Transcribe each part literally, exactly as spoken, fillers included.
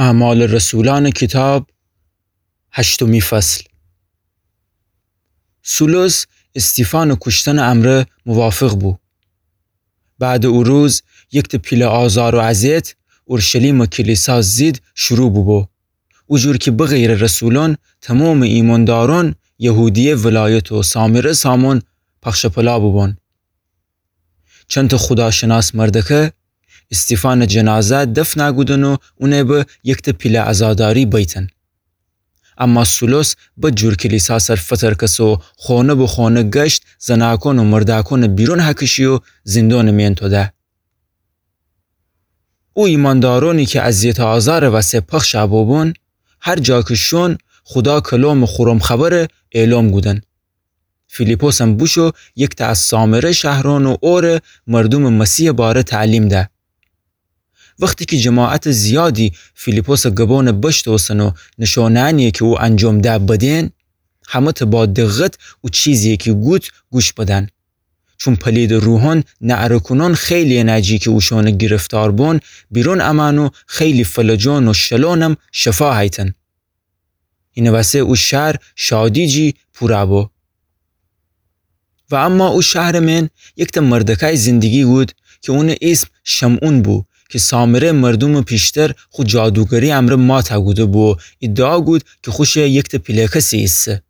اعمال رسولان کیتاب، هشتمی فصل. سولوس استیفان کوشتن امرأ موافق بو. بعد او روز یکته پیله آزار و اذیت اورشلیم کلیسا زید شروع بوبو. او جور کی بغیر رسولون تمام ایماندارون یهودیه ولایت و سامره سامون پخش پلا بوبون. چنته خوداشناس مردکه استیفان جنازه دفن کودن و اونه به یکته پیله عزاداری بیتن. اما سولوس بد جور کلیسا سر فترکسه و خونه به خونه گشت زناکون و مرداکون بیرون هکشی و زندون مین توده. او ایماندارونی کی اذیت آزار وسه پخش بوبون، هر جا کی شون خودا کلام خورم خبر اعلام کودن. فیلیپوسم بوشو یکته از سامره شهرون و اوره مردوم مسیح باره تعلیم ده. وختی کی جماعت زیادی فیلیپوس گبون بشتوسن و نشونانی کی او انجام ده بدین، همه‌ته با دقت او چیزی کی گوت گوش بدن. چون پلید روحون نعره‌کونون خیلی نجی کی اوشون گرفتار بون بیرون امن و خیلی فلجون و شلونم شفا هیتن. اینه وسه او شهر شادی جی پورا بو. و اما او شهر مین یکته مردکای زندگی کود کی اون اسم شمعون بو کی سامره مردوم پیشتر خو جادوگری امره ماته کوده بو و ادعا کود کی خوشه یکته پیله کسی ایسه.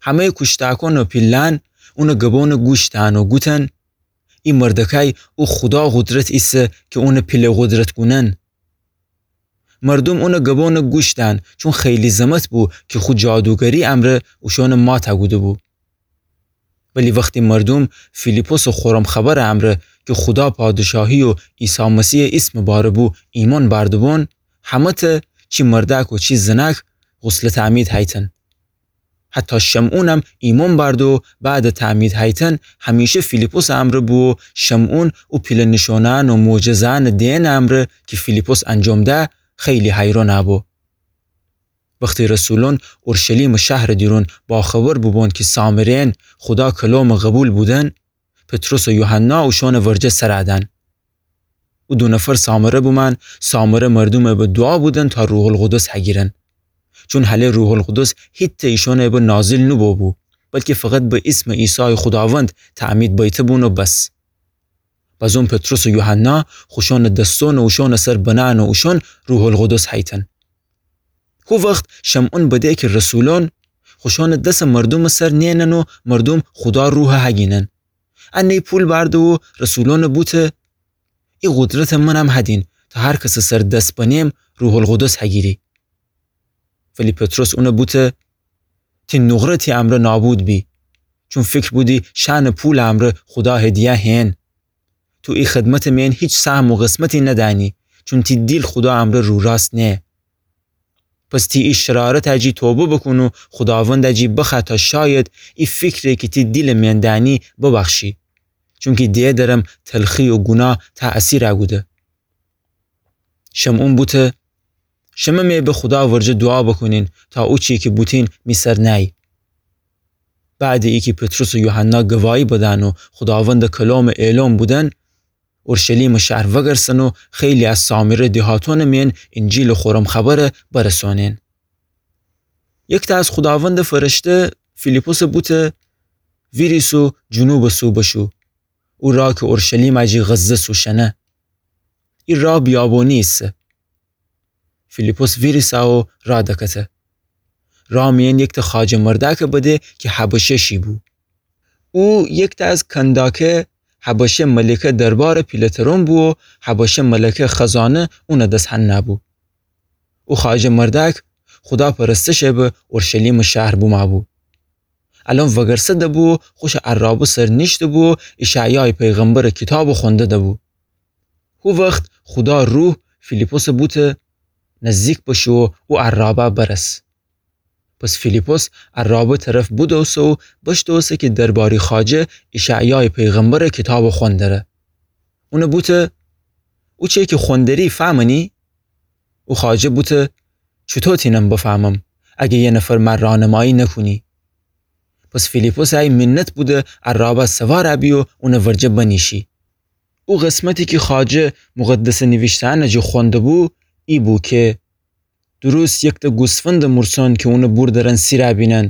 همه کوشتاکون و پیلان اون گبون گوش دهن و گوتن: ای مردکای او خودا قدرت ایسه کی اون پیله قدرت کونن. مردوم اون گبون گوش دهن، چون خیلی زمت بو کی خو جادوگری امره اوشون ماته کوده بو. ولی وختی مردوم فیلیپوس خورم خبر امره کی خودا پادشاهی و عیسی مسیح اسم باره بو ایمون بارده بون، همه‌ته چی مرداک و چی زناک غسل تعمید هیتن. حتی شمعونم ایمون بارده و بعد تعمید هیتن همیشه فیلیپوس امره بو و شمعون او پیله نشونان و معجزان دئن امره کی فیلیپوس انجام ده خیلی حیرون بو. وختی رسولون اورشلیم شهر دیرون باخبر بوبون کی سامره‌ین خودا کلام قبول بودن، پطرس و یوحنا اوشون ورجه سر دن. او دو نفر سامره بومن، سامره مردوم به دعا بودن تا روح‌القدس هگیرن. چون هله روح‌القدس هیته ایشون به نازل نوبو بو، بلکی فقط به اسم عیسی خوداوند تعمید بیته بون و بس. بازون پطرس و یوحنا خوشون دستون اوشون سر بنن و اوشون روح‌القدس هیتن. هو وخت شمعون بده کی رسولون خوشون دس مردوم سر نئنن و مردوم خودا روح هگینن. انه پول بارده و رسولون بوته: ای قدرت منم هدین تا هر کس سر دس بنیم روح‌القدس هگیری. ولی پطرس اون بوته: تی نقره تی امره نابود بی، چون فکر بودی شأن پول امره خودا هدیه هئن. تو ای خدمت مین هیچ سهم و قسمتی ندأنی، چون تی دیل خودا امره روراست نه. پس تی ای شرارت جی توبه بوکون و خوداوند جی بخوأ تا شاید ای فکری کی تی دیل مین دأنی ببخشی، چونکی دئه درم تلخی و گوناه تأثیر کوده. شمعون بوته: شمه می به خودا ورجه دوعا بوکونین تا او چی کی بوتین می سر نأیی. بعد ایکی پطرس و یوحنا گواهی بدن و خوداوند کلام اعلام بودن، اورشلیم شهر وگرسن و خیلی از سامره دیهاتون مین انجیل خورم خبر برسونین. یکته از خوداوند فرشته فیلیپوس بوته: ویریس و جنوب سو بشو، او راه کی اورشلیم جی غزه سو شنه. ای راه بیابونی ایسه. فیلیپوس ویریسه و راه دکته. راه مین یکته خواجه مرداک بده کی حبشه شی بو. او یکته از کنداکه حبشه ملکه دربار پیلترون بو و حبشه ملکه خزانه اون دس هنه بو. او خواجه مرداک خودا پرستش به اورشلیم شهر بومه بو. الأن وگرسه دبو، خوش عرابه سر نیشته بو، اشعیای پیغمبر کیتاب خونده دبو. هو وخت خودا روح فیلیپوس بوته: نزدیک بشو و او عرابه برس. پس فیلیپوس عرابه طرف بودوسه و بشتوسه کی درباری خواجه اشعیای پیغمبر کیتاب خون دره. اون بوته: او چی کی خون دری فهمنی؟ او خواجه بوته: چوطو تینم بفهمم اگه یه نفر مر راهنمایی نکونی؟ پس فیلیپوس ای منت بوده عرابه سوار بی و اون ورجه بنیشی. او قسمتی کی خواجه مقدس نویشته‌ان جی خونده بو، ای بو کی درست یکتأ گوسفندٚ مورسون کی اونٚ بوردرن سیرَ بینن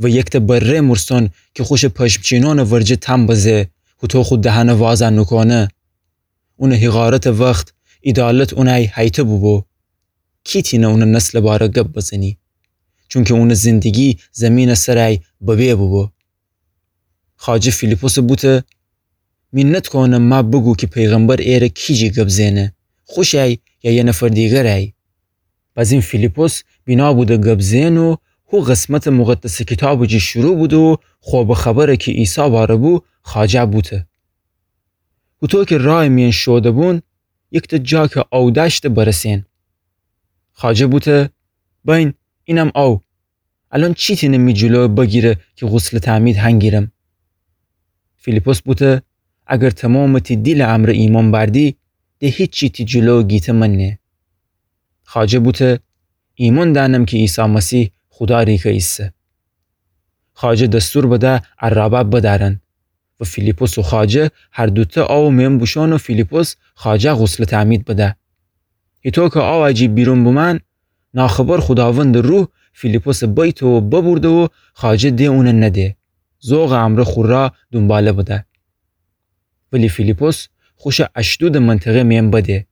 و یکتأ بره‌یٚ مورسون کی خوشٚ پشمچینونٚ ورجه تأم بزه، هوطو خو دهنه وازَ نوکونه. اونٚ حقارتٚ وخت عیدالت اونَی هیته بوبو. کی تینه اونٚ نسلٚ باره گب بزنی؟ چونکی اونٚ زندگی زیمینٚ سرَی ببه بوبو. خواجه فیلیپسَ بوته: مینت کونم مه بوگو کی پیغمبر ایره کیجی گب زئنه، خوشَی یا یه نفر دیگرَی؟ بزین فیلیپس بینا بوده گب زئن و هو قسمتٚ مقدسٚ کیتابٚ جی شروع بوده و خوبٚ خبر کی عیسی واره بو خواجه بوته. هوطو کی رایٚ میأن شوده بون، یکتأ جا کی آو دأشته برسئن. خواجه بوته: بین، اینم آو. الأن چی تینه می جلو بگیره کی غسلٚ تعمید هنگیرم؟ فیلیپس بوته: اگر تومامٚ تی دیلٚ امرأ ایمأن بأردی، د هیچی تی جلو گیته منه. خواجه بوته: ایمأن دأنم کی عیسی مسیح خودا ریکه ایسه. خواجه دستور بده عرابه بدأرن و فیلیپس و خواجه هر دوتأ آوٚ میأن بوشون و فیلیپس خواجه غسلٚ تعمید بده. هیطو کی آوٚ جی بیرون بومأن، ناخبر خوداوندٚ روح فیلیپسٚ بیته و ببرده و خواجه د اونٚ نده، ذوقٚ امرأ خو را دونباله بده. ولی فیلیپس خوشٚ اشدودٚ منطقه میأن بده.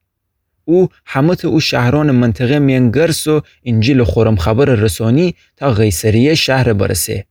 او همه‌تأ او شهرأنٚ منطقه میأن گرس و انجیلٚ خورم خبر رسونی تا قیصریه شهر برسه.